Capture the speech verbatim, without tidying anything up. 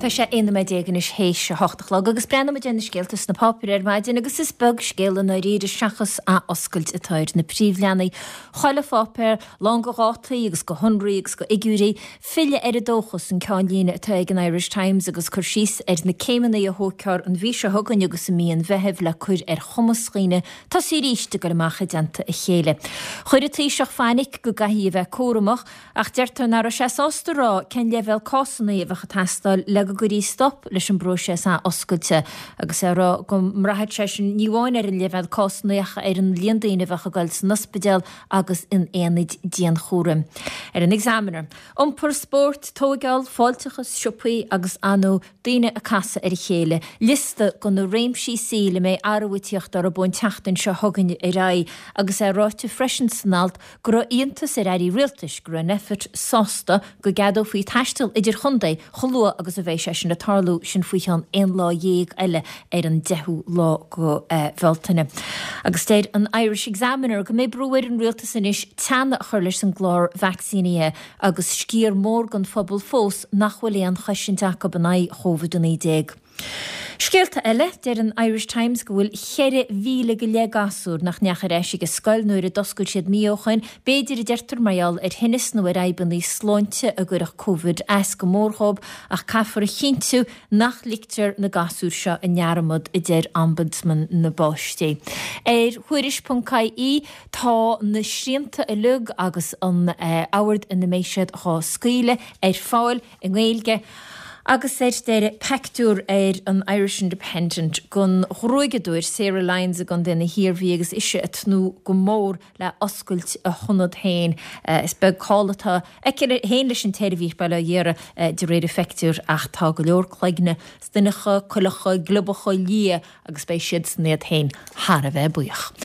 Tá sé aon nóiméad déag anois théis a hocht a chlog agus breathnóimid ar na scéalta sna páipéir ar maidin agus is beag scéal i ndáiríre seachas athoscailt atá ar na príomhleathanaigh. Chuile pháipéar lán de dhátaí agus de shonraí agus de fhigiúirí, filleadh ar an dóchas an ceannlíne atá ag an Irish Times agus cur síos ar na céimeanna a thógfar an mhí seo chugainn agus i mí an Mheithimh le cur ar chumas dhaoine tosaí arís ag dul amach i dteannta a chéile. Chuir an Taoiseach fainic go gcaithfí a bheith cúramach ach deirtear nach raibh sé sásta a rá cén leibhéal cásanna a bheadh ag teastáil le go gcuirfí stop leis an bpróiseas athoscailte agus é ag rá go mbraithfeadh sé sin ní amháin ar an leibhéal cásanna ach ar an líon daoine a bheadh ag dul san ospidéal agus in aonaid dianchúraim. Ar an Examiner, iompar, spórt, tóigeáil, fáilteachas, siopaí agus ar ndóigh daoine ag casadh ar a chéile, liosta de na réimsí saoil a mbeidh athrú ag tíocht orthu ón tseachtain seo chugainn ar aghaidh agus é ráite freisin san alt go raibh iontas ar airí rialtais go raibh Nphet sásta go gceadófaí taisteal idirchontae chomh luath agus a bheidh sé sin ag tarlú, sin faoi cheann aon lá dhéag eile ar an deichiú lá de Bhealtaine. Agus deir an Irish Examiner go mbeidh brú ar an rialtas anois teannadh a chur leis an gclár vacsaínithe agus sciar mór den phobal fós nach bhfuil aon chosaint acu in aghaidh Covid a naoi déag. Scéalta eile, deir an Irish Times go bhfuil ceithre mhíle go leith gasúr nach ndeachaigh ar ais ag an scoil nuair a d'oscail siad mí ó shoin, b'fhéidir, a deirtear, mar gheall ar thinneas nó ar fhadhbanna sláinte a gcuirfeadh Covid as go mór dhóibh ach caithfear a chinntiú nach ligtear na gasúir seo i ndearmad, a deir Ombudsman na bPáistí. Ar Thuairisc ponc ie tá na srianta uilig agus an ord ina mbeidh siad dhá scaoileadh ar fáil i nGaeilge. Agus ar deireadh, pictiúr ar an Irish Independent den ghruaigeadóir Sarah Lyons i gContae na hIarmhí agus ise ag tnúth go mór le oscailt a hionad féin. Is beag call atá aici féin leis an tseirbhís, bail ó Dhia uirthi, de réir an phictiúir ach tá go leor cloigne stuineacha, cuileacha, gliobacha, liath agus beidh siadsan iad féin thar a bheith buíoch.